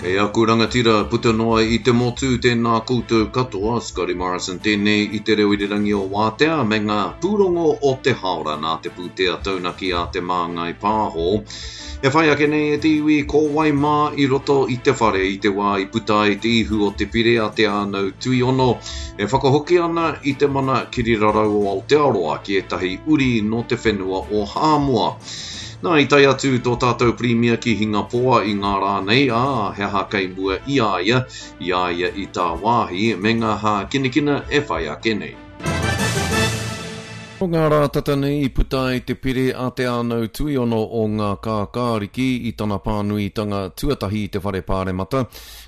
E aku rangatira puta noa i te motu, tēnā koutou katoa, Scotty Morrison tēnei i te reo irirangi o Wātea me ngā pūrongo o te haora nā te pūtea taunaki a Te Māngai Pāho. E whai ake nei e te iwi ko wai mā i roto i te whare i te wā i puta ai te ihu o te pire a Te Ānau Tuiono e whakahoki ana i te mana kirirarau o Aotearoa ki ētahi uri nō te whenua o Hāmoa. Nā, i tae atu tō tātou Pirimia ki Hingapoa i ngā rā nei, ā, he aha kei mua i a ia, i a ia i tāwāhi, me ngā hākinakina e whai ake nei. Nō ngā rā tata nei i puta ai te pire a Te Ānau Tuiono o Ngā Kākāriki i tana pānuitanga tuatahi i te Whare Pāremata.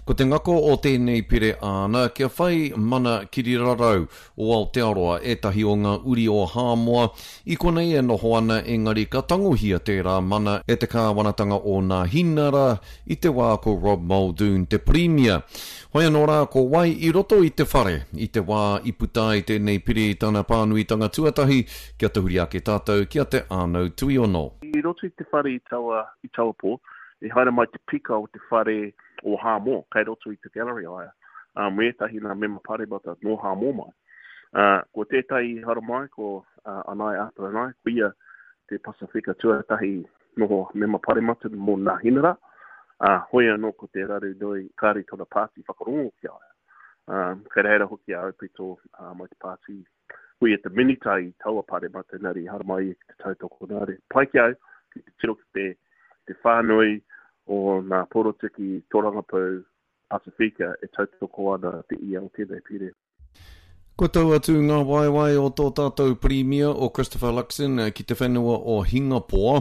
Ko te ngako o tēnei pire āna kia whai mana kirirarau o Aotearoa ētahi o ngā uri o Hāmoa i konei e noho ana engari ka tangohia tērā mana e te kāwanatanga o Nāhinara i te wā ko Rob Muldoon te Pirimia. Hoi anō rā ko wai i roto i te whare i te wā i puta ai tēnei pire i tana pānuitanga tuatahi kia tahuri ake tātou ki a Te Ānau Tuiono. I roto i te whare i taua, i taua pō, i haere mai te pika o te whare o Hāmoa, kei roto i te gallery a ia. ā, me ētahi nā mema paremata nō Hāmoa mai. Ā, ko tētahi i haramai ko Anaia Aperanai, ko ia te Pasifika tuatahi noho mema paremata mō Nāhinara, ā, hoi anō ko te raru nui kāre tōna pāti whakarongo ki a ia. Ā, kei reira hoki a Aupito ā, mai te pāti ko ia te minita i taua paremata engari i haramai ia ki te tautoko nā reira. Pai ki au ki te tiro ki te, te whānui o nā porotiki torangapū Pasifika e tautoko ana te ia o tēnei pire. Kua tau atu ngā waewae o tō tātou Pirimia o Christopher Luxon ki te whenua o Hingapoa.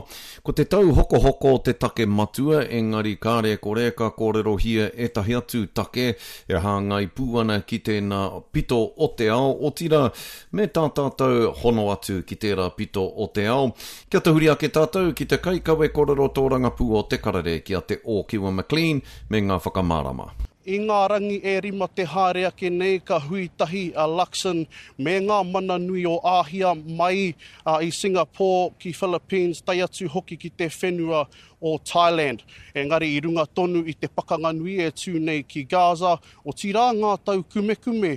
Ko te tauhokohoko te take matua, engari kāre kore ka kōrerohia ētahi atu take e hāngai pū ana ki tēnā pito o te ao, otirā, me tā tātou hono atu ki tērā pito o te ao. Kia tahuri ake tātou ki te kaikawe kōrero tōrangapū o Te Karere ki a Te Ōkiwa McLean, me ngā whakamārama. I ngā rangi e rima te haere ake nei ka hui tahi a Luxon me ngā mana nui o Āhia mai i Singapore ki Philippines tae atu hoki ki te whenua o Thailand. Engari i runga tonu i te pakanga nui e tū nei ki Gaza, otirā ngā taukumekume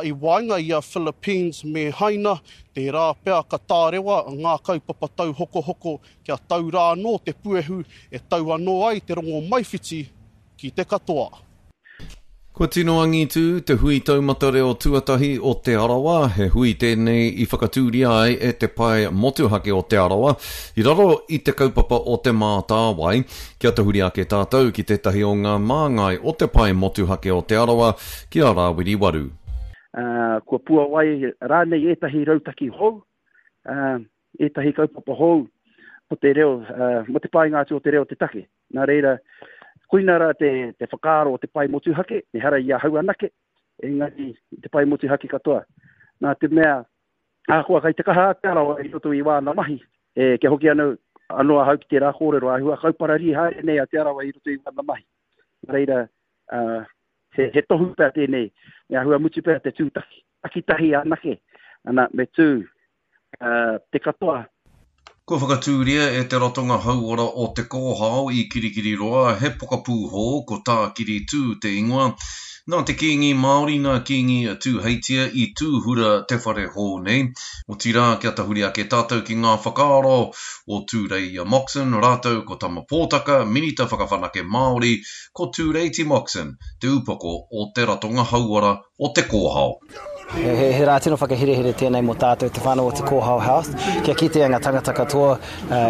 i waenga i a Philippines me Haina, tērā pea ka tārewa ngā kaupapa tauhokohoko Kia tau rā anō te puehu e tau anō ai te rongomaiwhiti ki te katoa. Kua tino angitū te hui taumata reo tuatahi o Te Arawa, he hui tēnei i whakatūria ai e Te Pae Motuhake o Te Arawa i raro i te kaupapa o Te Mātāwai. Kia tahuri ake tātou ki tētahi o ngā māngai o Te Pae Motuhake o Te Arawa, ki a Rāwiri Waru. Kua puawai rānei ētahi rautaki hou, ētahi kaupapa hou mō te reo, mō te painga atu o te reo te take. Nā reira, koina rā te, te whakaaro o te pae motuhake, ehara i ahau anake, engari i te pae motuhake katoa. Nā te mea, ahakoa kai te kaha a Te Arawa i roto i wāna mahi, e, kia hoki anō, anō ahau ki tērā kōrero, āhua kaupararī haere nei a Te Arawa i roto i wāna mahi. Nā reira, uh, he, he tohu pea tēnei, me āhua mutu pea te tū taki, takitahi anake, ana, me tū te katoa. Kua whakatūria e Te Ratonga Hauora o Te Kōhao i Kirikiriroa he pokapū hou ko Tākiri Tū te ingoa. Nā te Kīngi Māori nā Kīngi Tūheitia i tūhura te whare hou nei. Otirā kia tahuri ake tātou ki ngā whakaaro o Tūreia Moxon rātou ko Tama Pōtaka, Minita Whakawhanake Māori, ko Tūreiti Moxon, te upoko o Te Ratonga Hauora o Te Kōhao. He rā tino whakaherehere tēnei mō tātou te whānau o Te Kōhao Health, kia kitea ngā tangata katoa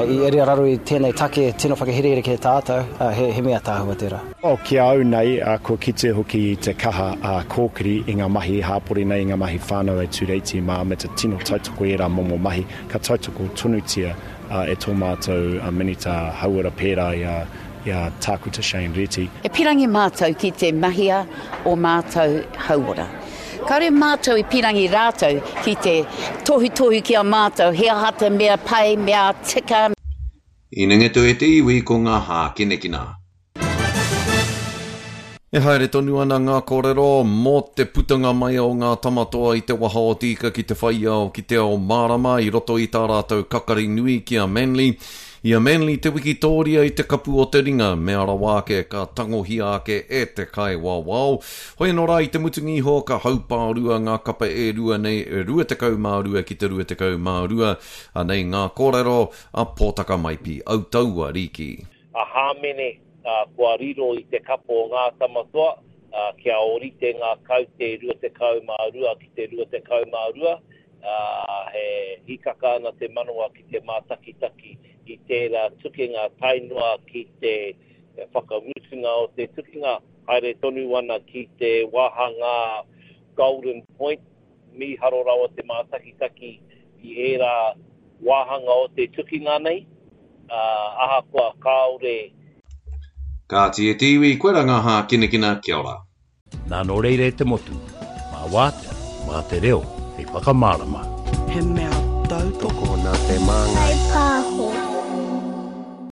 i raro i tēnei take tino whakaherehere ki a tātou, he mea tāhua tērā. Oh, ki a au nei, kua kite hoki i te kaha a Kōkiri i ngā mahi hāpori nei, i ngā mahi whānau e Tūreiti mā, me te tino tautoko i ērā momo mahi, ka tautoko tonutia e tō mātou Minita Hauora pērā i a i a Tākuta Shane Reti. E pirangi mātou ki te mahia o mātou hauora. Kāore mātou i pirangi rātou ki te tohutohu ki a mātou he aha te mea pai, mea tika. Inengetu e te iwi ko ngā hākinakina. E haere tonu ana ngā kōrero mō te putanga mai o ngā tamatoa i te waha o te ika ki te whai ao ki te ao mārama i roto i tā rātou kakari nui ki a Manly. I a Manly te wikitōria i te kapu o te ringa, mea rawa ake ka tangohia ake e te kaiwawao. Hoi anō rā i te mutunga iho ka haupārua ngā kapa e rua nei, 22 ki te 22. Anei ngā kōrero a Pōtaka Maipi, Autaua Riki. A Hāmene, kua riro i te kapa o Ngā Tamatoa, kia ōrite ngā kaute 22 ki te 22, ā, he hīkaka ana te manawa ki te mātakitaki i tērā tukinga tae noa ki te whakamutunga o te tukinga, haere tonu ana ki te wāhangā Golden Point, mīharo rawa te mātakitaki i ērā wāhanga o te tukinga nei, ā, ahakoa kāore. Kāti e te iwi, koira ngā hākinakina, kia ora. Nā nō reira e te motu, mā Wātea, mā te reo hei whakamārama. He mea tautoko. Tokona te māngai.